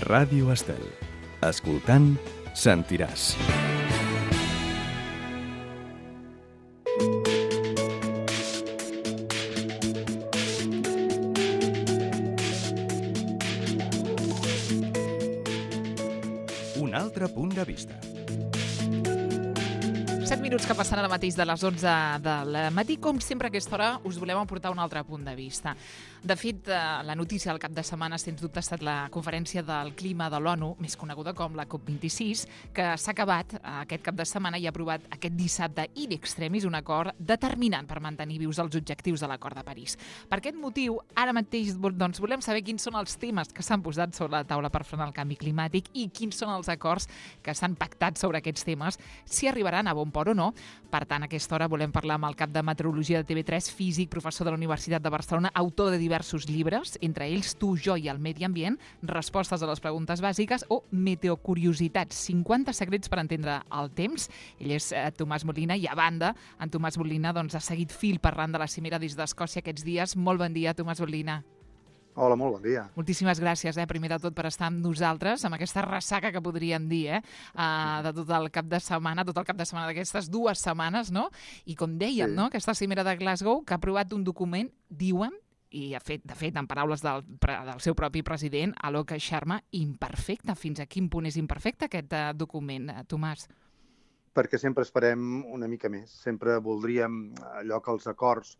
Ràdio Estel. Escoltant, sentiràs. Un altre punt de vista. 7 minuts que passen ara mateix de les 11 del matí. Com sempre a aquesta hora us volem aportar un altre punt de vista. De fet, la notícia del cap de setmana, sens dubte, ha estat la conferència del clima de l'ONU, més coneguda com la COP26, que s'ha acabat aquest cap de setmana i ha aprovat aquest dissabte in extremis un acord determinant per mantenir vius els objectius de l'Acord de París. Per aquest motiu, ara mateix volem saber quins són els temes que s'han posat sobre la taula per frenar el canvi climàtic i quins són els acords que s'han pactat sobre aquests temes, si arribaran a bon port o no. Per tant, a aquesta hora volem parlar amb el cap de Meteorologia de TV3, físic, professor de la Universitat de Barcelona, autor de diversos llibres, entre ells Tu, jo i el medi ambient, respostes a les preguntes bàsiques o meteocuriositats, 50 secrets per entendre el temps. Ell és Tomàs Molina i, a banda, en Tomàs Molina ha seguit fil parlant de la cimera des d'Escòcia aquests dies. Molt bon dia, Tomàs Molina. Hola, molt bon dia. Moltíssimes gràcies, primer de tot, per estar amb nosaltres, amb aquesta ressaca que podríem dir, de tot el cap de setmana d'aquestes 2 setmanes, no? I com dèiem, no? Aquesta cimera de Glasgow, que ha aprovat un document, diuen, i de fet, en paraules del seu propi president, Alok Sharma, imperfecte. Fins a quin punt és imperfecte aquest document, Tomàs? Perquè sempre esperem una mica més. Sempre voldríem allò que els acords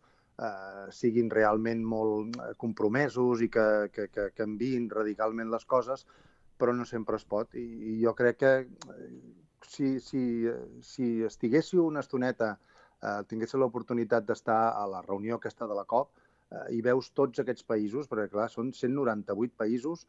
siguin realment molt compromesos i que canviïn radicalment les coses, però no sempre es pot. I jo crec que si estiguéssiu una estoneta, tinguéssiu l'oportunitat d'estar a la reunió aquesta de la COP, i veus tots aquests països, perquè clar, són 198 països,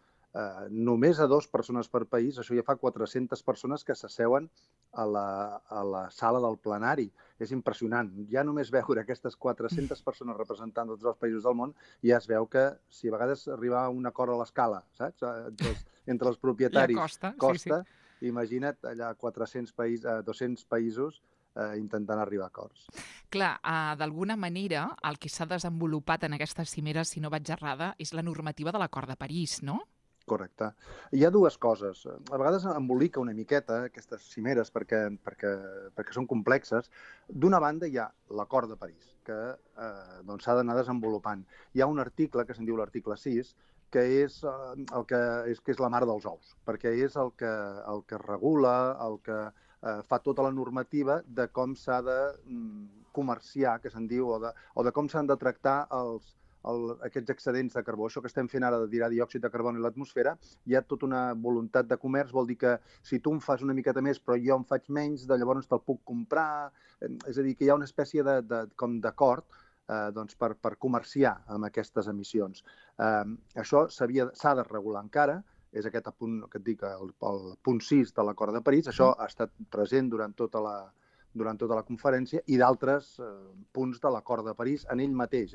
només a 2 persones per país, això ja fa 400 persones que s'asseuen a la sala del plenari. És impressionant. Ja només veure aquestes 400 persones representant tots els països del món, ja es veu que si a vegades arribar a un acord a l'escala, saps? Entre els propietaris costa. Imagina't allà 200 països intentant arribar a acords. Clar, d'alguna manera, el que s'ha desenvolupat en aquesta cimera, si no vaig errada, és la normativa de l'Acord de París, no? Correcte. Hi ha 2 coses. A vegades embolica una miqueta aquestes cimeres perquè són complexes. D'una banda hi ha l'Acord de París, que s'ha d'anar desenvolupant. Hi ha un article, que se'n diu l'article 6, que és la mare dels ous, perquè és el que regula, el que fa tota la normativa de com s'ha de comerciar, que se'n diu, o de com s'han de tractar aquests excedents de carbó. Això que estem fent ara de tirar diòxid de carboni a l'atmosfera, hi ha tota una voluntat de comerç, vol dir que si tu em fas una miqueta més però jo en faig menys, llavors te'l puc comprar. És a dir, que hi ha una espècie d'acord per comerciar amb aquestes emissions. Això s'ha de regular encara, és aquest punt que et dic, el punt 6 de l'Acord de París. Això ha estat present durant tota la conferència, i d'altres punts de l'Acord de París en ell mateix.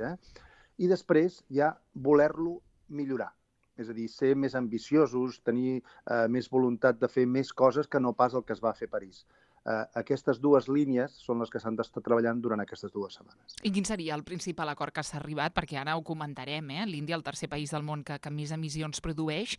I després hi ha voler-lo millorar, és a dir, ser més ambiciosos, tenir més voluntat de fer més coses que no pas el que es va fer a París. Aquestes 2 línies són les que s'han d'estar treballant durant aquestes 2 setmanes. I quin seria el principal acord que s'ha arribat? Perquè ara ho comentarem, l'Índia, el tercer país del món que més emissions produeix.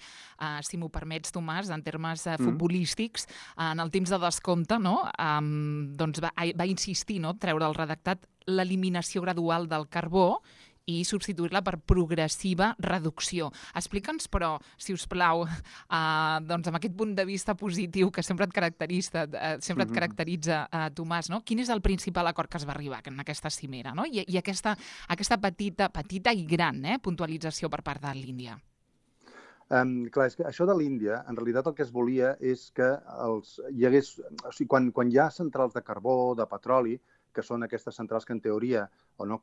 Si m'ho permets, Tomàs, en termes futbolístics, en el temps de descompte, no? Va insistir, no? Treure el redactat l'eliminació gradual del carbó i substituir-la per progressiva reducció. Explica'ns, però, si us plau, amb aquest punt de vista positiu que sempre et caracteritza, Tomàs, no? Quin és el principal acord que es va arribar en aquesta cimera, no? I aquesta petita i gran puntualització per part de l'Índia. Clar, és que això de l'Índia, en realitat el que es volia és que hi hagués... O sigui, quan hi ha centrals de carbó, de petroli, que són aquestes centrals que en teoria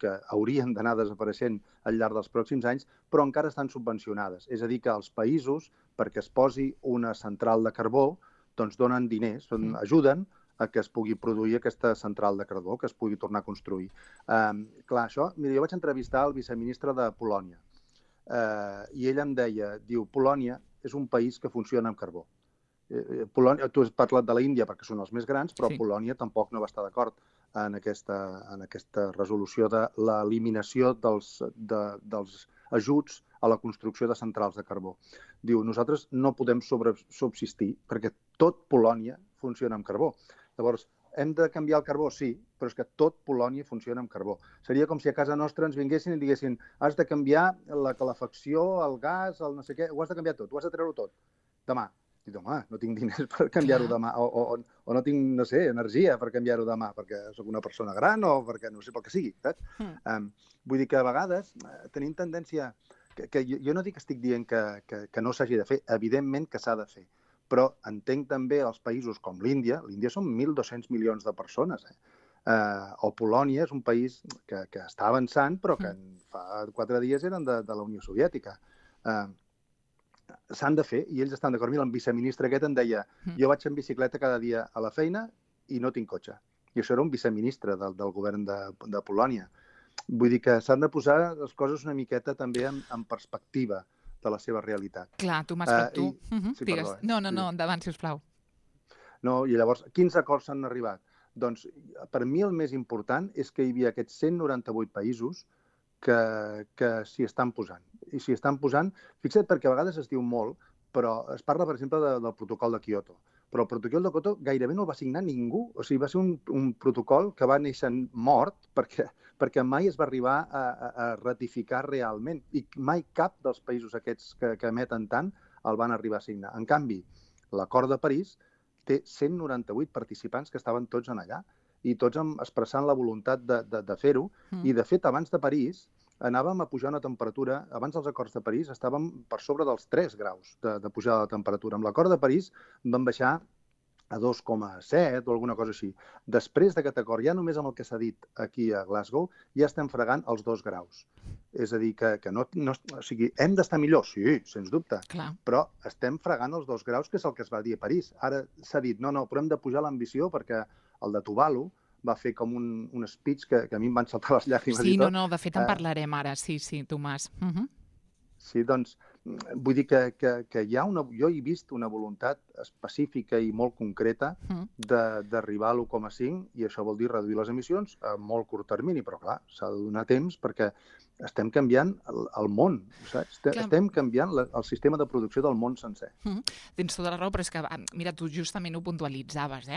que haurien d'anar desapareixent al llarg dels pròxims anys, però encara estan subvencionades. És a dir, que els països, perquè es posi una central de carbó, donen diners, ajuden a que es pugui produir aquesta central de carbó, que es pugui tornar a construir. Clar, això... Mira, jo vaig entrevistar el viceministre de Polònia i ell em deia, Polònia és un país que funciona amb carbó. Polònia, tu has parlat de l'Índia perquè són els més grans, però Polònia tampoc no va estar d'acord en aquesta resolució de l'eliminació dels ajuts a la construcció de centrals de carbó. Diu, nosaltres no podem subsistir perquè tot Polònia funciona amb carbó. Llavors, hem de canviar el carbó? Sí, però és que tot Polònia funciona amb carbó. Seria com si a casa nostra ens vinguessin i diguessin has de canviar la calefacció, el gas, el no sé què, ho has de canviar tot, ho has de treure tot, demà. Dic, home, no tinc diners per canviar-ho demà, o no tinc, no sé, energia per canviar-ho demà, perquè sóc una persona gran o perquè no sé pel que sigui, saps? Vull dir que a vegades tenim tendència, que jo no dic que estic dient que no s'hagi de fer, evidentment que s'ha de fer, però entenc també els països com l'Índia són 1.200 milions de persones, o Polònia és un país que està avançant, però que fa 4 dies eren de la Unió Soviètica. S'han de fer, i ells estan d'acord. Mira, el viceministre aquest em deia jo vaig en bicicleta cada dia a la feina i no tinc cotxe. I això era un viceministre del govern de Polònia. Vull dir que s'han de posar les coses una miqueta també en perspectiva de la seva realitat. Clar, Tomàs, però tu... Sí, digues. perdó. No, endavant, sisplau. No, i llavors, quins acords s'han arribat? Doncs, per mi el més important és que hi havia aquests 198 països que s'hi estan posant. I s'hi estan posant, fixa't, perquè a vegades es diu molt, però es parla, per exemple, del protocol de Kyoto. Però el protocol de Kyoto gairebé no el va signar ningú. O sigui, va ser un protocol que va néixer mort perquè mai es va arribar a ratificar realment. I mai cap dels països aquests que emeten tant el van arribar a signar. En canvi, l'acord de París té 198 participants que estaven tots en allà i tots expressant la voluntat de fer-ho. I, de fet, abans de París anàvem a pujar una temperatura, abans dels acords de París estàvem per sobre dels 3 graus de pujada de temperatura. Amb l'acord de París vam baixar a 2,7 o alguna cosa així. Després d'aquest acord, ja només amb el que s'ha dit aquí a Glasgow, ja estem fregant els 2 graus. És a dir, que no, o sigui, hem d'estar millor? Sí, sens dubte. Clar. Però estem fregant els 2 graus, que és el que es va dir a París. Ara s'ha dit, no, però hem de pujar l'ambició perquè el de Tuvalu va fer com un speech que a mi em van saltar les llàgrimes i tot. Sí, no, de fet en parlarem ara, sí, Tomàs. Sí, doncs, vull dir que hi ha jo he vist una voluntat específica i molt concreta d'arribar a l'1,5 i això vol dir reduir les emissions a molt curt termini, però clar, s'ha de donar temps perquè estem canviant el món, saps? Estem canviant el sistema de producció del món sencer. Tens tota la raó, però és que, mira, tu justament ho puntualitzaves,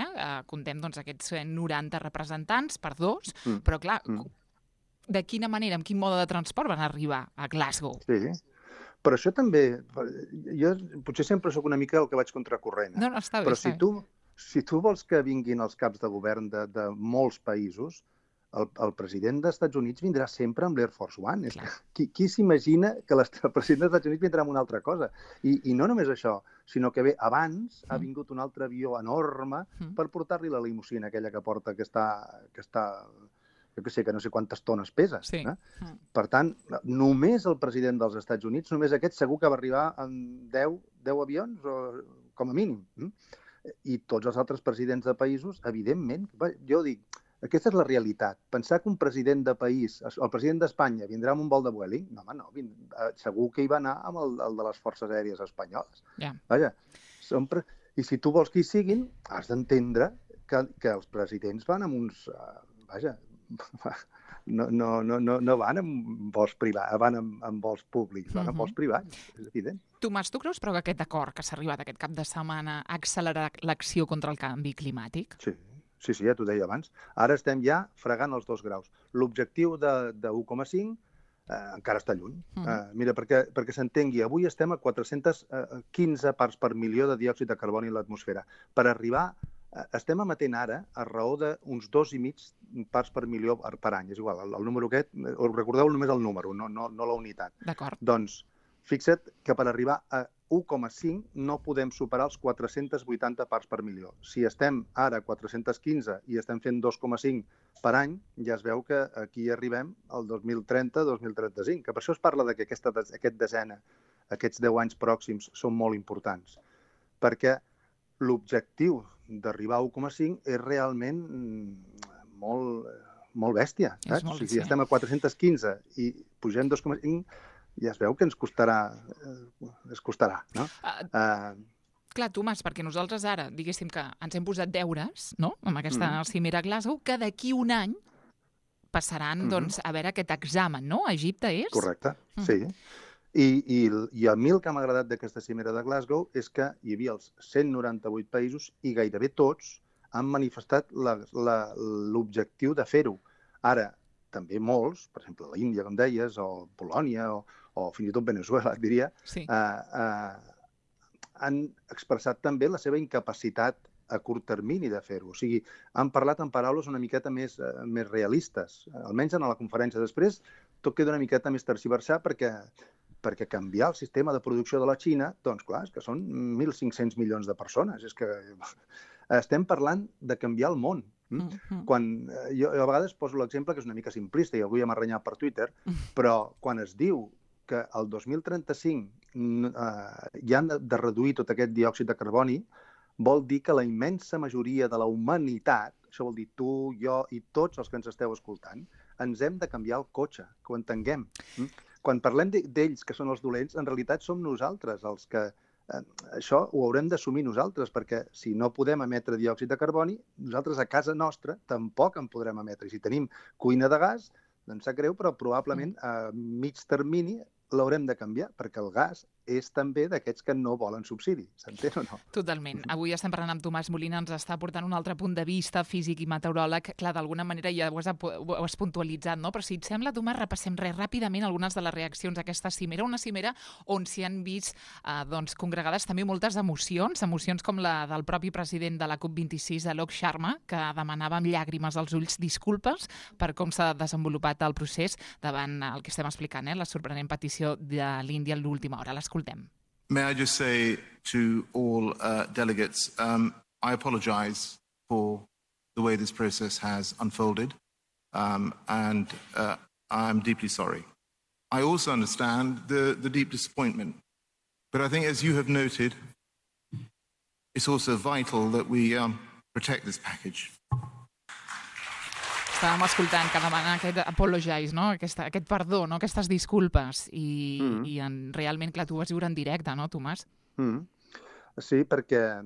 Contem doncs aquests 90 representants per 2, però clar, de quina manera, amb quin mode de transport van arribar a Glasgow? Sí, però això també, jo potser sempre sóc una mica el que vaig contracorrent. No, està bé, però si tu vols que vinguin els caps de govern de molts països, el president dels Estats Units vindrà sempre amb l'Air Force One. Qui s'imagina que el president dels Estats Units vindrà amb una altra cosa? I no només això, sinó que abans ha vingut un altre avió enorme per portar-li la limusina aquella que porta, que està jo que no sé quantes tones pesa. Sí. Per tant, només el president dels Estats Units, només aquest segur que va arribar amb 10 avions, com a mínim. I tots els altres presidents de països, evidentment, jo dic, aquesta és la realitat. Pensar que un president de país, el president d'Espanya, vindrà amb un vol de Vueling? No, home, no. Segur que hi va anar amb el de les forces aèries espanyoles. Vaja, i si tu vols que hi siguin, has d'entendre que els presidents van amb uns... Vaja, no van amb vols privats, van amb vols públics, van amb vols privats, és evident. Tomàs, tu creus però que aquest acord que s'ha arribat aquest cap de setmana ha accelerat l'acció contra el canvi climàtic? Sí, ja t'ho deia abans. Ara estem ja fregant els 2 graus. L'objectiu de 1,5 encara està lluny. Mira, perquè s'entengui, avui estem a 415 parts per milió de diòxid de carboni a l'atmosfera. Per arribar, estem emetent ara a raó d'uns 2,5 parts per milió per any. És igual, el número aquest, recordeu només el número, no la unitat. D'acord. Doncs, fixa't que per arribar a 1,5 no podem superar els 480 parts per milió. Si estem ara a 415 i estem fent 2,5 per any, ja es veu que aquí arribem al 2030-2035, que per això es parla que aquests 10 anys pròxims són molt importants, perquè l'objectiu d'arribar a 1,5 és realment molt bèstia. Si estem a 415 i pugem 2,5, ja es veu que ens costarà, no? Clar, Tomàs, perquè nosaltres ara, diguéssim que ens hem posat deures, no?, amb aquesta cimera a Glasgow, que d'aquí un any passaran a veure aquest examen, no? A Egipte és? Correcte, sí. I el mil que m'ha agradat d'aquesta cimera de Glasgow és que hi havia els 198 països i gairebé tots han manifestat l'objectiu de fer-ho. Ara, també molts, per exemple, l'Índia, com deies, o Polònia, o fins i tot Venezuela, et diria, han expressat també la seva incapacitat a curt termini de fer-ho. O sigui, han parlat en paraules una miqueta més realistes. Almenys en la conferència després tot queda una miqueta més tergiversat perquè canviar el sistema de producció de la Xina, doncs clar, és que són 1.500 milions de persones. És que estem parlant de canviar el món. Quan jo a vegades poso l'exemple que és una mica simplista i algú ja m'ha renyat per Twitter, però quan es diu que el 2035 ja han de reduir tot aquest diòxid de carboni, vol dir que la immensa majoria de la humanitat, això vol dir tu, jo i tots els que ens esteu escoltant, ens hem de canviar el cotxe, que ho entenguem. Quan parlem d'ells, que són els dolents, en realitat som nosaltres els que... Això ho haurem d'assumir nosaltres, perquè si no podem emetre diòxid de carboni, nosaltres a casa nostra tampoc en podrem emetre. I si tenim cuina de gas, doncs sap greu, però probablement a mig termini l'haurem de canviar, perquè el gas és també d'aquests que no volen subsidi. S'entén o no? Totalment. Avui estem parlant amb Tomàs Molina, ens està portant un altre punt de vista, físic i meteoròleg. Clar, d'alguna manera ja ho has puntualitzat, no? Però si et sembla, Tomàs, repassem ràpidament algunes de les reaccions d'aquesta cimera. Una cimera on s'hi han vist congregades també moltes emocions com la del propi president de la COP26, Alok Sharma, que demanava amb llàgrimes als ulls disculpes per com s'ha desenvolupat el procés davant el que estem explicant, la sorprenent petició de l'Índia a l'última hora. L'escoltem. May I just say to all delegates, I apologize for the way this process has unfolded, and I'm deeply sorry. I also understand the deep disappointment, but I think, as you have noted, it's also vital that we protect this package. Estàvem escoltant que demana aquest apologize, no? Aquest perdó, no? Aquestes disculpes. I realment, clar, tu ho vas viure en directe, no, Tomàs? Sí, perquè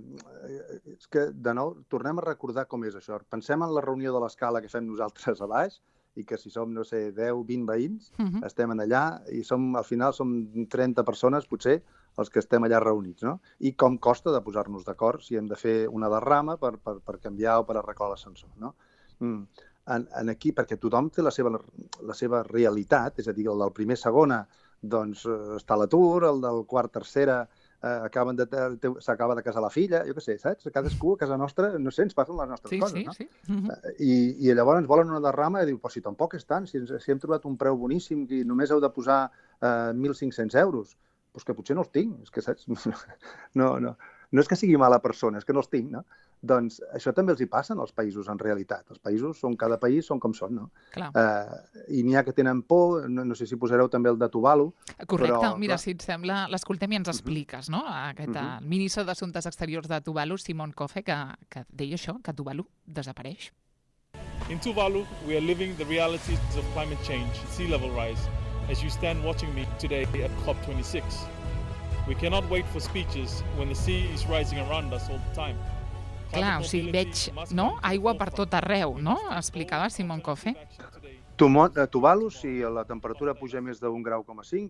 és que, de nou, tornem a recordar com és això. Pensem en la reunió de l'escala que fem nosaltres a baix i que si som, no sé, 10, 20 veïns, estem allà i al final som 30 persones, potser, els que estem allà reunits, no? I com costa de posar-nos d'acord si hem de fer una derrama per canviar o per arreglar l'ascensor, no? Aquí, perquè tothom té la seva realitat, és a dir, el del primer segona doncs està a l'atur, el del quart tercera s'acaba de casar la filla, jo què sé, saps? Cadascú a casa nostra, no sé, ens passen les nostres coses, no? Sí. I llavors ens volen una derrama i diu, però si tampoc és tant, si hem trobat un preu boníssim i només heu de posar 1.500 euros, doncs que potser no els tinc, és que, saps? No és que sigui mala persona, és que no els tinc, no? Doncs això també els hi passa als països, en realitat. Els països, cada país són com són, no? I n'hi ha que tenen por, no sé si posareu també el de Tuvalu. Correcte, mira, si et sembla, l'escoltem i ens expliques, no? Aquest ministre d'Assumptes Exteriors de Tuvalu, Simon Kofe, que deia això, que Tuvalu desapareix. In Tuvalu, we are living the realities of climate change, sea level rise, as you stand watching me today at COP26. We cannot wait for speeches when the sea is rising around us all the time. Clar, o sigui, veig, no? Aigua per tot arreu, no? Explicava Simon Kofe. Tuvalu, si la temperatura puja més d'1,5 grau,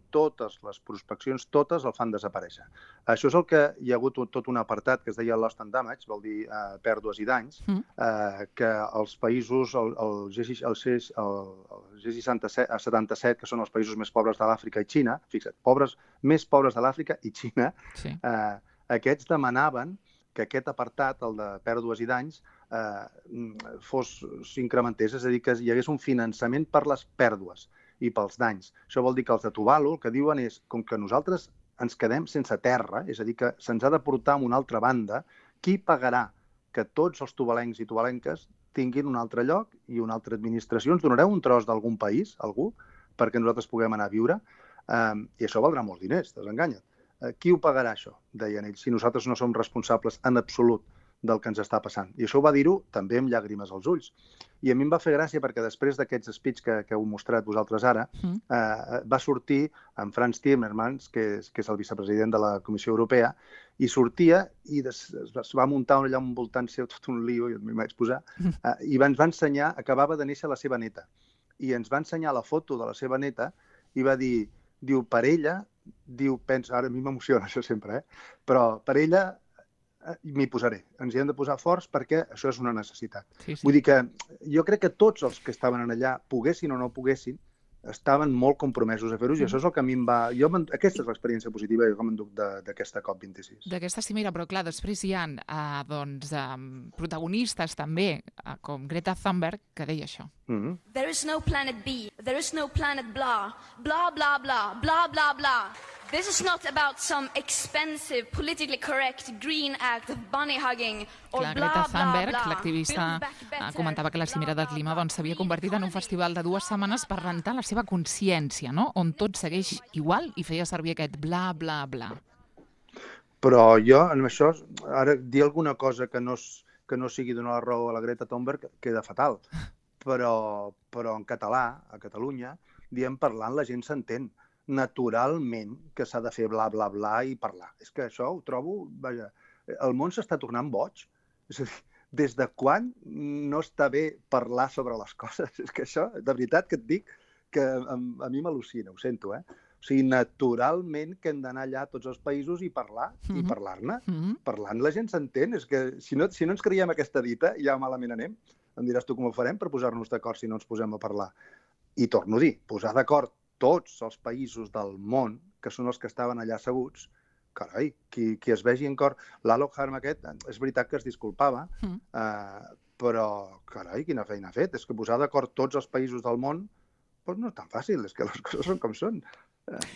totes les prospeccions, totes el fan desaparèixer. Això és el que hi ha hagut tot un apartat que es deia Lost and Damage, vol dir pèrdues i danys, que els països, el G77, que són els països més pobres de l'Àfrica i Xina, fixa't, més pobres de l'Àfrica i Xina, aquests demanaven que aquest apartat, el de pèrdues i danys, s'incrementés, és a dir, que hi hagués un finançament per les pèrdues i pels danys. Això vol dir que els de Tuvalu el que diuen és, com que nosaltres ens quedem sense terra, és a dir, que se'ns ha de portar a una altra banda, qui pagarà que tots els tuvalencs i tuvalenques tinguin un altre lloc i una altra administració? Ens donareu un tros d'algun país, algú, perquè nosaltres puguem anar a viure? I això valdrà molts diners, desenganya't. Qui ho pagarà, això? Deien ells, si nosaltres no som responsables en absolut del que ens està passant. I això ho va dir-ho també amb llàgrimes als ulls. I a mi em va fer gràcia perquè després d'aquests speech que heu mostrat vosaltres ara, va sortir en Frans Timmermans, que és el vicepresident de la Comissió Europea, i sortia i es va muntar allà envoltant seu tot un lío, i m'hi vaig posar, i ens va ensenyar, acabava de néixer la seva neta. i ens va ensenyar la foto de la seva neta i va dir, per ella, pensa, ara a mi m'emociona això sempre, però per ella m'hi posaré. Ens hi hem de posar forts perquè això és una necessitat. Sí. Vull dir que jo crec que tots els que estaven allà, poguessin o no poguessin, estaven molt compromesos a fer-ho i això és el que a mi em va... Aquesta és l'experiència positiva que m'enduc d'aquesta COP26. D'aquesta cimera, però clar, després hi ha protagonistes també, com Greta Thunberg, que deia això. There is no planet B, there is no planet blah, blah, blah, blah, blah, blah, blah. This is not about some expensive, politically correct green act of bunny hugging or Clar, blah, Greta blah, Thunberg, blah. l'activista, comentava que la cimera del clima s'havia convertit en un festival de 2 setmanes per rentar la seva consciència, no? On tot segueix igual i feia servir aquest bla, bla, bla. Però jo, amb això, ara dir alguna cosa que no sigui donar la raó a la Greta Thunberg queda fatal. Però en català, a Catalunya, diem parlant, la gent s'entén. Naturalment que s'ha de fer bla, bla, bla i parlar. És que això ho trobo... Vaja, el món s'està tornant boig. És a dir, des de quan no està bé parlar sobre les coses? És que això, de veritat que et dic, que a mi m'al·lucina, ho sento, O sigui, naturalment que hem d'anar allà a tots els països i parlar, i parlar-ne. Parlant la gent s'entén. És que si no ens creiem aquesta dita, ja malament anem. Em diràs tu com ho farem per posar-nos d'acord si no ens posem a parlar. I torno a dir, posar d'acord tots els països del món, que són els que estaven allà asseguts, carai, qui es vegi en cor... L'Alok Harm aquest, és veritat que es disculpava, però, carai, quina feina ha fet. És que posar d'acord tots els països del món doncs no és tan fàcil, és que les coses són com són.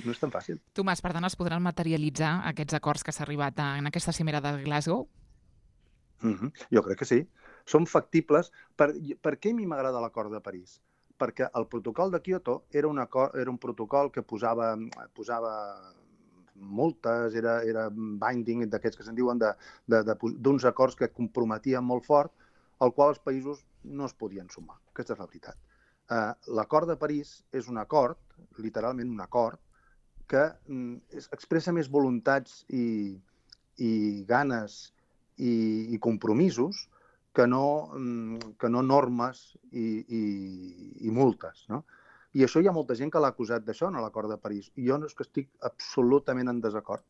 No és tan fàcil. Tomàs, per tant, es podran materialitzar aquests acords que s'ha arribat en aquesta cimera de Glasgow? Jo crec que sí. Són factibles. Per què a mi m'agrada l'acord de París? Perquè el protocol de Kyoto era un protocol que posava multes, era binding, d'aquests que se'n diuen, d'uns acords que comprometien molt fort, al qual els països no es podien sumar. Aquesta és la veritat. L'acord de París és un acord, literalment un acord, que expressa més voluntats i ganes i compromisos que no normes i multes, no? I això hi ha molta gent que l'ha acusat d'això, en l'acord de París. I jo no és que estic absolutament en desacord.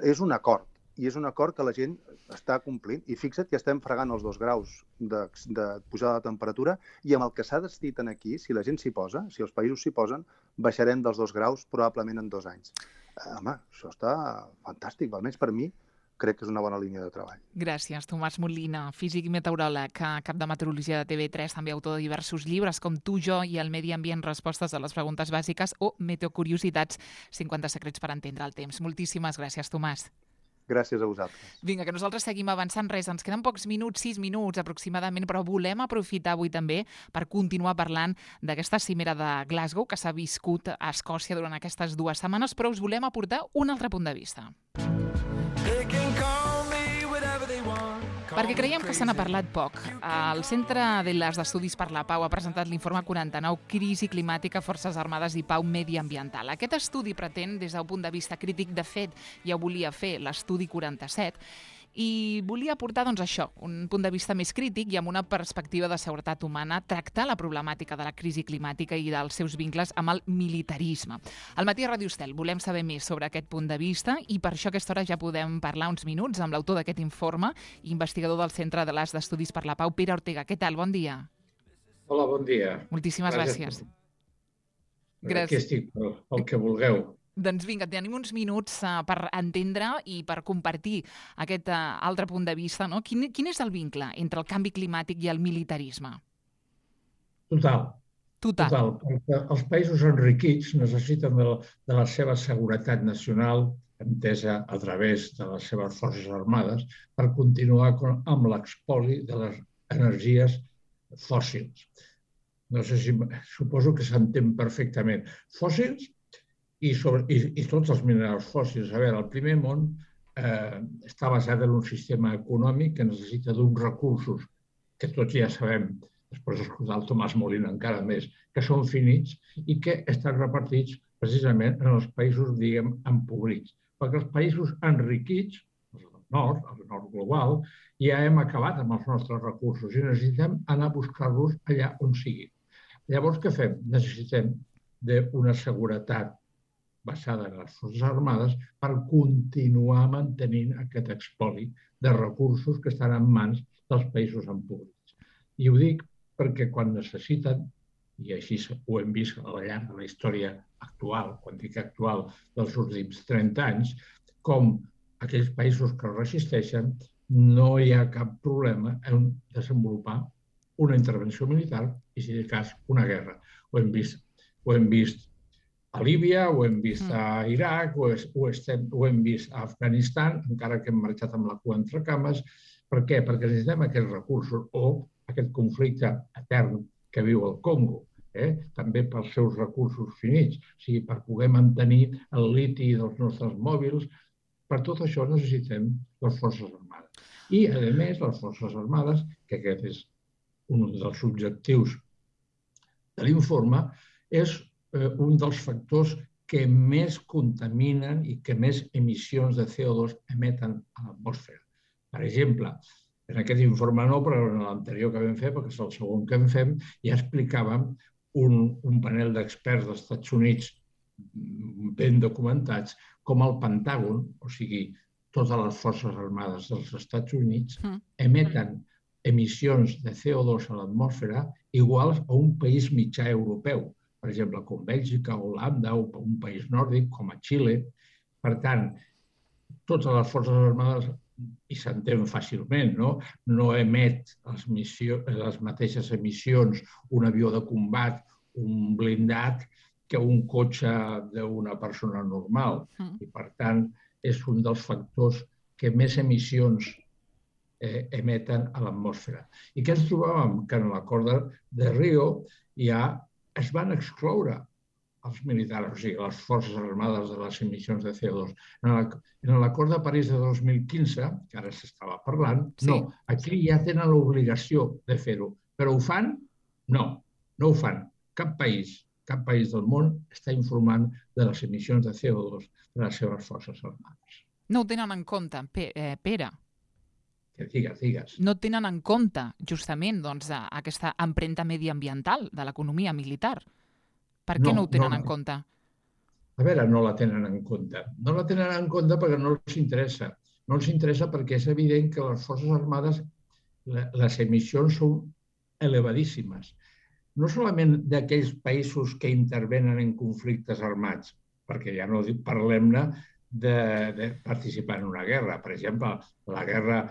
És un acord, i és un acord que la gent està complint. I fixa't que estem fregant els 2 graus de pujada de temperatura i amb el que s'ha decidit aquí, si la gent s'hi posa, si els països s'hi posen, baixarem dels 2 graus probablement en 2 anys. Home, això està fantàstic, almenys per mi, crec que és una bona línia de treball. Gràcies, Tomàs Molina, físic i meteoròleg, cap de meteorologia de TV3, també autor de diversos llibres com Tu, jo i el medi ambient, respostes a les preguntes bàsiques o Meteocuriositats, 50 secrets per entendre el temps. Moltíssimes gràcies, Tomàs. Gràcies a vosaltres. Vinga, que nosaltres seguim avançant res. Ens queden pocs minuts, 6 minuts aproximadament, però volem aprofitar avui també per continuar parlant d'aquesta cimera de Glasgow que s'ha viscut a Escòcia durant aquestes 2 setmanes, però us volem aportar un altre punt de vista. Perquè creiem que se n'ha parlat poc. El Centre d'Estudis per la Pau ha presentat l'informe 49, Crisi climàtica, forces armades i pau mediambiental. Aquest estudi pretén, des d'un punt de vista crític, de fet, ja ho volia fer l'estudi 47, i volia aportar doncs, això, un punt de vista més crític i amb una perspectiva de seguretat humana, tractar la problemàtica de la crisi climàtica i dels seus vincles amb el militarisme. Al matí a Ràdio Estel volem saber més sobre aquest punt de vista i per això a aquesta hora ja podem parlar uns minuts amb l'autor d'aquest informe, investigador del Centre d'Estudis per la Pau, Pere Ortega. Què tal? Bon dia. Hola, bon dia. Moltíssimes gràcies. Aquí estic pel que vulgueu. Doncs vinga, tenim uns minuts per entendre i per compartir aquest altre punt de vista, no? Quin és el vincle entre el canvi climàtic i el militarisme? Total. Perquè els països enriquits necessiten de la seva seguretat nacional, entesa a través de les seves forces armades, per continuar amb l'expoli de les energies fòssils. No sé si... Suposo que s'entén perfectament. Fòssils i tots els minerals fòssils. A veure, el primer món està basat en un sistema econòmic que necessita d'uns recursos que tots ja sabem, després d'escoltar el Tomàs Molina encara més, que són finits i que estan repartits precisament en els països, diguem, empobrits. Perquè els països enriquits, el nord global, ja hem acabat amb els nostres recursos i necessitem anar a buscar-los allà on siguin. Llavors, què fem? Necessitem d'una seguretat basada en les Forces Armades per continuar mantenint aquest espoli de recursos que estan en mans dels països empobrits. I ho dic perquè quan necessiten, i així ho hem vist al llarg de la història actual, quan dic actual, dels últims 30 anys, com aquells països que resisteixen no hi ha cap problema en desenvolupar una intervenció militar i, si de cas, una guerra. Ho hem vist a Líbia, ho hem vist a Iraq, ho hem vist a Afganistan, encara que hem marxat amb la cua entre cames. Per què? Perquè necessitem aquests recursos o aquest conflicte etern que viu el Congo, també pels seus recursos finits, o sigui, per poder mantenir el liti dels nostres mòbils. Per tot això necessitem les Forces Armades. I, a més, les Forces Armades, que aquest és un dels objectius de l'informe, és un dels factors que més contaminen i que més emissions de CO2 emeten a l'atmosfera. Per exemple, en aquest informe no, però en l'anterior que vam fer, perquè és el segon que fem, ja explicàvem un panel d'experts dels Estats Units ben documentats com el Pentàgon, o sigui, totes les forces armades dels Estats Units, emeten emissions de CO2 a l'atmosfera iguals a un país mitjà europeu, per exemple, com Bèlgica, Holanda o un país nòrdic com a Xile. Per tant, totes les forces armades, i s'entén fàcilment, no emet les mateixes emissions un avió de combat, un blindat, que un cotxe d'una persona normal. I, per tant, és un dels factors que més emissions emeten a l'atmosfera. I què ens trobàvem? Que en l'acord de Rio ja es van excloure els militars, o sigui, les forces armades de les emissions de CO2. En l'acord de París de 2015, que ara s'estava parlant, no, aquí ja tenen l'obligació de fer-ho. Però ho fan? No, no ho fan. Cap país del món està informant de les emissions de CO2 de les seves forces armades. No ho tenen en compte, Pere. Digues. No tenen en compte, justament, aquesta empremta mediambiental de l'economia militar. Per què no ho tenen en compte? A veure, no la tenen en compte. No la tenen en compte perquè no els interessa. No els interessa perquè és evident que les forces armades, les emissions són elevadíssimes. No solament d'aquells països que intervenen en conflictes armats, perquè ja no parlem-ne de participar en una guerra. Per exemple, la guerra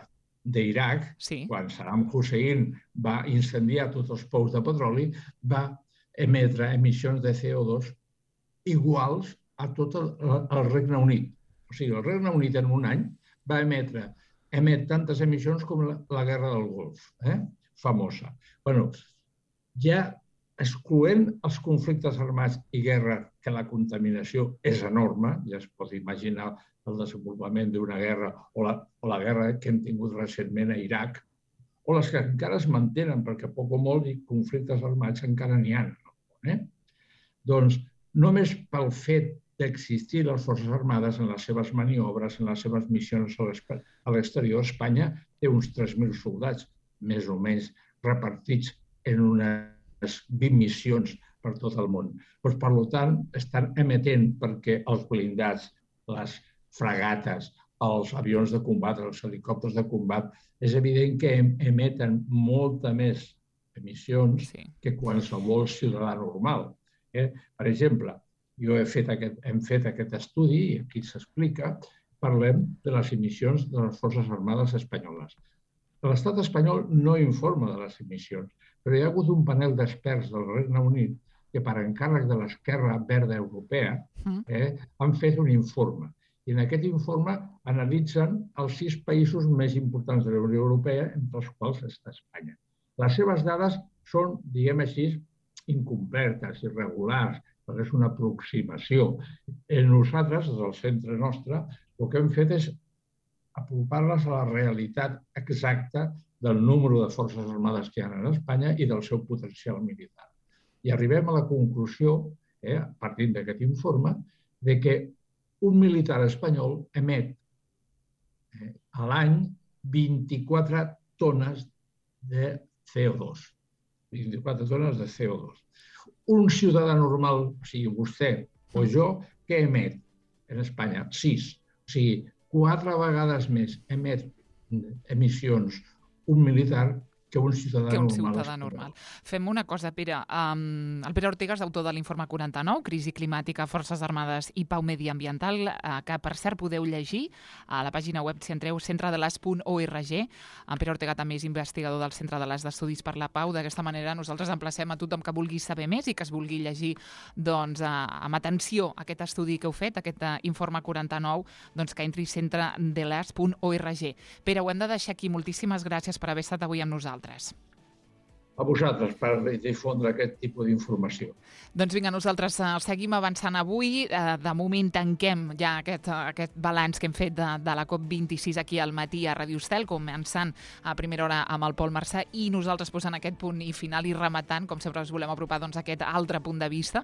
d'Iraq, quan Saddam Hussein va incendiar tots els pous de petroli, va emetre emissions de CO2 iguals a tot el Regne Unit. O sigui, el Regne Unit en un any va emet tantes emissions com la Guerra del Golf, famosa. Bé, ja excloent els conflictes armats i guerra, que la contaminació és enorme, ja es pot imaginar el desenvolupament d'una guerra o la guerra que hem tingut recentment a Iraq, o les que encara es mantenen, perquè poc o molt conflictes armats encara n'hi ha. Doncs només pel fet d'existir les Forces Armades en les seves maniobres, en les seves missions a l'exterior, Espanya té uns 3.000 soldats, més o menys repartits en unes 20 missions per tot el món. Per tant, estan emetent perquè els blindats, les fragates, els avions de combat, els helicòpters de combat, és evident que emeten molta més emissions que qualsevol ciutadà normal. Per exemple, hem fet aquest estudi, i aquí s'explica, parlem de les emissions de les Forces Armades espanyoles. L'estat espanyol no informa de les emissions, però hi ha hagut un panel d'experts del Regne Unit que, per encàrrec de l'Esquerra Verda Europea, han fet un informe. I en aquest informe analitzen els 6 països més importants de la Unió Europea, entre els quals està Espanya. Les seves dades són, diguem així, incompletes, irregulars, perquè és una aproximació. Nosaltres, des del centre nostre, el que hem fet és apropar-les a la realitat exacta del número de forces armades que hi ha a Espanya i del seu potencial militar. I arribem a la conclusió, partint d'aquest informe, de que un militar espanyol emet a l'any 24 tones de CO2. 24 tones de CO2. Un ciutadà normal, o sigui, vostè o jo, què emet en Espanya? 6. O sigui, 4 vegades més emet emissions un militar que un ciutadà normal. Fem una cosa, Pere. El Pere Ortega és autor de l'informe 49, Crisi climàtica, Forces Armades i Pau Mediambiental, que, per cert, podeu llegir a la pàgina web, si entreu, centredeles.org. En Pere Ortega també és investigador del Centre de l'Es d'Estudis per la Pau. D'aquesta manera, nosaltres emplacem a tothom que vulgui saber més i que es vulgui llegir amb atenció aquest estudi que heu fet, aquest informe 49, que entri a centredeles.org. Pere, ho hem de deixar aquí. Moltíssimes gràcies per haver estat avui amb nosaltres. A vosaltres per difondre aquest tipus d'informació. Doncs vinga, nosaltres seguim avançant avui. De moment tanquem ja aquest balanç que hem fet de la COP26 aquí al matí a Ràdio Estel, començant a primera hora amb el Pol Marçà i nosaltres posant aquest punt i final i rematant, com sempre us volem apropar aquest altre punt de vista.